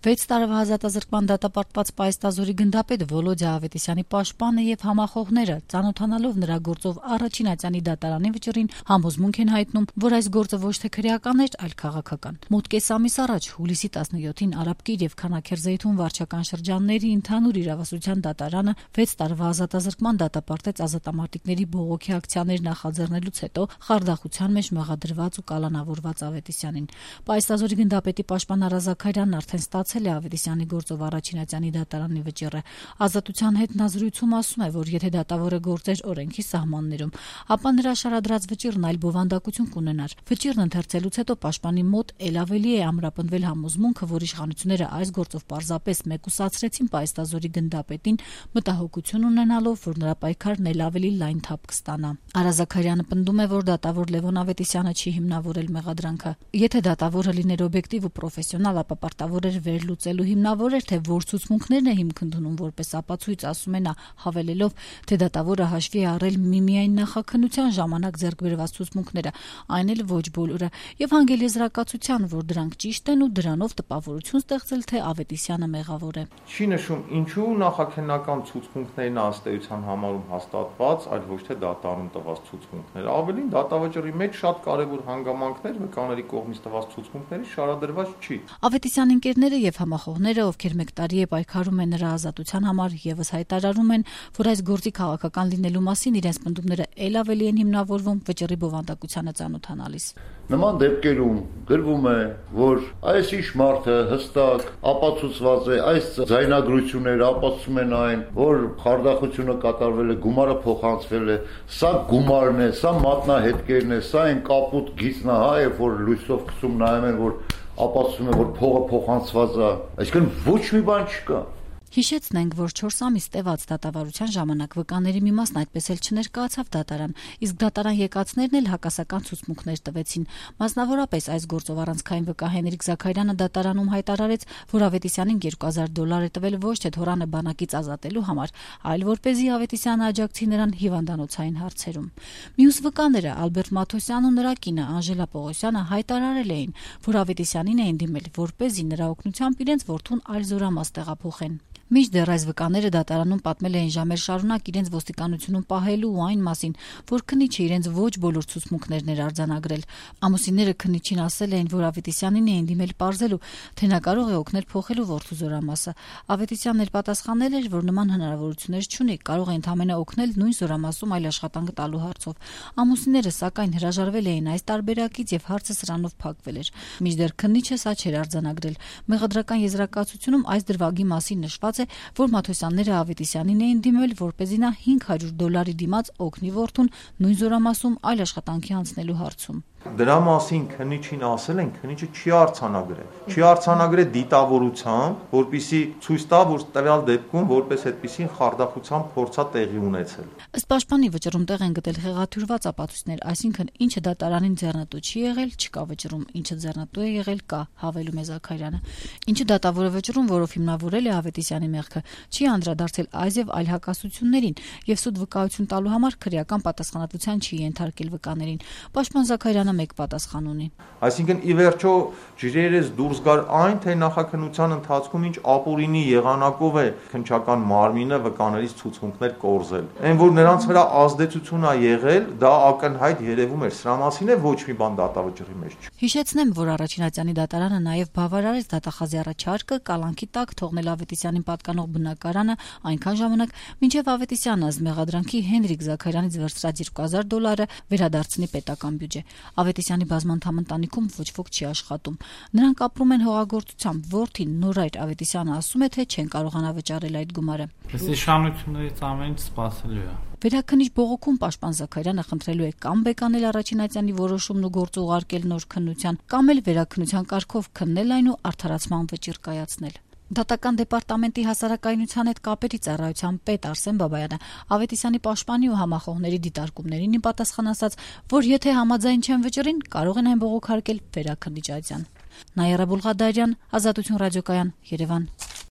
6 տարվա ազատազրկման դատապարտված Պայստազորի գնդապետ Վոլոդյա Ավետիսյանի պաշտպանը եւ համախոհները, ծանոթանալով նրա գործով առաջին ատյանի դատարանի վճռին, համոզմունք են հայտնում, որ այս գործը ոչ թե քրեական էր, այլ քաղաքական։ Մոտ կես ամիս առաջ, հուլիսի 17-ին Արաբկիր եւ Քանաքերզեյթուն վարչական շրջանների ընդհանուր իրավասության դատարանը 6 տարվա ազատազրկման դատապարտեց ազատամարտիկների բողոքի ակցիաներ նախաձեռնելուց հետո խարդախության մեջ մեղադրված ու կալանավորված Ավետիսյանին։ Պայստազորի գնդապետի պաշտպան Արա Զաքարյանն արդեն ստացել է Ավետիսյանի գործով առաջին ատյանի դատարանի վճիռը։ Ազատության հետ նա զրույցում ասում է, որ եթե դատավորը գործեր օրենքի սահմաններում, ապա նրա շարադրած վճիռն այլ բովանդակություն կունենար։ Վճիռն ընթերցելուց հետո պաշտպանի մոտ ել ավելի է ամրապնդվել համոզմունքը, որ իշխանությունները այս գործով պարզապես մեկուսացրեցին Պայստազորի գնդապետին, մտահոգություն ունենալով, որ նրա պայքարն ել ավելի լայն թափ կստանա։ Արա Զաքարյանը պնդում է, որ դատավոր Լևոն Ավետիսյանը չի հիմնավորել մեղադրանքը։ Եթե դատավորը լիներ օբյեկտիվ ու պրոֆեսիոնալ, ապա պարտավոր էր վերլուծելու հիմնավոր էր, թե որ ցուցմունքներն է հիմք ընդունում որպես ապացույց, ասում է նա, հավելելով, թե դատավորը հաշվի է առել միմիայն նախաքննության ժամանակ ձեռք բերված ցուցմունքները, այն էլ ոչ բոլորը, եւ հանգել եզրակացության, որ դրանք ճիշտ են ու դրանով տպավորություն ստեղծել, թե Ավետիսյանը մեղավոր է։ Չի նշում ինչու նախաքննական ցուցմունքներն ըստ էության համարում հաստատված, այլ ոչ թե դատարանում տված ցուցմունքներ։ Ավելին դատավճռի մեջ շատ կարևոր հանգամանքներ վկաների կողմից տված ցուցմունքների շարադրված չի։ Ավետիսյանի ընկերները եւ համախոհները, ովքեր մեկ տարի է պայքարում են նրա ազատության համար, եւս հայտարարում են, որ այս գործի քաղաքական լինելու մասին իրենց պնդումները ել ավելի են հիմնավորվում վճռի բովանդակությանը ծանոթանալիս։ Նման դեպքերում գրվում է, որ այս ինչ մարդը հստակ ապացուցված է, այս ձայնագրությունները ապացուցում են այն, որ խարդախությունը կատարվել է, գումարը փոխանցվել է, սա գումարն է, սա մատնահետքերն է, սա այն կապուտ գիծնահա է, որ լույսով քսում նայում են, որ ապացուցում է, որ փողը փոխանցված է, այսինքն ոչ մի բան չկա։ Հիշեցնենք, որ 4 ամիս տևած դատավարության ժամանակ վկաների մի մասն այդպես էլ չներկայացավ դատարան, իսկ դատարան եկածներն էլ հակասական ցուցմունքներ տվեցին։ Մասնավորապես այս գործով առանցքային վկա Հենրիկ Զաքարյանը դատարանում հայտարարեց, որ Ավետիսյանին $2000 է տվել ոչ թե թորանը բանակից ազատելու համար, այլ որպեսզի Ավետիսյանը աջակցի նրան հիվանդանոցային հարցերում։ Մյուս վկաները Ալբերտ Մաթոսյանն ու նրա կինը Անժելա Պողոսյանը հայտարարել էին, որ Ավետիսյանին էին դիմել, որպեսզի նրա օգնությամբ իրենց որդուն այլ զորամաս տեղափոխեն։ Մինչդեռ այս վկաները դատարանում պատմել էին ժամեր շարունակ իրենց ոստիկանությունում պահելու ու այն մասին, որ քննիչը իրենց ոչ բոլոր ցուցմունքներն էր արձանագրել։ Ամուսինները քննիչին ասել էին, որ Ավետիսյանին էին դիմել պարզելու, թե նա կարող է օգնել փոխելու որդու զորամասը։ Ավետիսյանն էլ պատասխանել էր, որ նման հնարավորություններ չունի, կարող է ընդհանրապես օգնել նույն զորամասում այլ աշխատանք տալու հարցով։ Ամուսինները սակայն հրաժարվել էին այս տարբերակից եւ հարցը սրանով փակվել էր։ Մինչդեռ քննիչը սա չէր արձանագրել։ Մեղադրական եզրակացությունում այս դրվագի մասին նշված է, որ Մաթոսյանները Ավետիսյանին էին դիմել, որպեսզի նա $500 դիմաց օգնի որդուն նույն զորամասում այլ աշխատանքի անցնելու հարցում։ Դրա մասին քննիչին ասել են, քննիչը չի արձանագրել։ Չի արձանագրել դիտավորությամբ, որպեսզի ցույց տա, որ տվյալ դեպքում որպես այդպիսին խարդախության փորձա տեղի ունեցել։ Ըստ պաշտպանի վճռում տեղ են գտել խեղաթյուրված ապացույցներ, այսինքն ինչը դատարանին ձեռնտու չի եղել, չկա վճռում, ինչը ձեռնտու է եղել, կա, հավելում է Զաքարյանը։ Ինչը դատավորը վճռում, որով հիմնավորել է Ավետիսյանի մեղքը, չի անդրադարձել այս եւ այլ հակասություններին եւ սուտ վկայություն տալու համար քրեական պատասխանատվության չի ենթարկել վկաներին։ Պաշտպան Զաքարյանը մեկ պատասխան ունի։ Այսինքն ի վերջո ջրերից դուրս գար այն, թե նախաքննության ընթացքում ինչ ապօրինի եղանակով է քննչական մարմինը վկաներից ցուցմունքներ կորզել։ Այն որ նրանց վրա ազդեցություն է եղել, դա ակնհայտ երևում էր։ Սրա մասին է ոչ մի բան դատավճռի մեջ չի։ Հիշեցնեմ, որ առաջին ատյանի դատարանը նաև բավարարեց դատախազի առաջարկը կալանքի տակ թողնել Ավետիսյանին պատկանող բնակարանը այնքան ժամանակ, մինչև Ավետիսյանը ըստ մեղադրանքի Հենրիկ Զաքարյանից վերցրած $2000 վերադարձնի պետական բյուջե։ Ավետիսյանի բազմանդամ ընտանիքում ոչ ոք չի աշխատում։ Նրանք ապրում են հողագործությամբ, որդին Նորայր Ավետիսյանը ասում է, թե չեն կարողանա վճարել այդ գումարը։ Այս իշխանություններից ամեն ինչ սպասելու է։ Վերաքննիչ բողոքում պաշտպան Զաքարյանը խնդրելու է կամ բեկանել առաջին ատյանի որոշումն ու գործը ուղարկել նոր քննության, կամ էլ վերաքննության կարգով քննել այն ու արդարացման վճիռ կայացնել։ Դատական դեպարտամենտի հասարակայնության հետ կապերի ծառայության պետ Արսեն Բաբայանը Ավետիսյանի պաշտպանի ու համախոհների դիտարկումներին պատասխան ասաց, որ եթե համաձայն չեն վճռին, կարող են այն բողոքարկել վերաքննիչ ատյան։ Նայիրա Բուլղադարյան, Ազատություն ռադիոկայան, Երևան։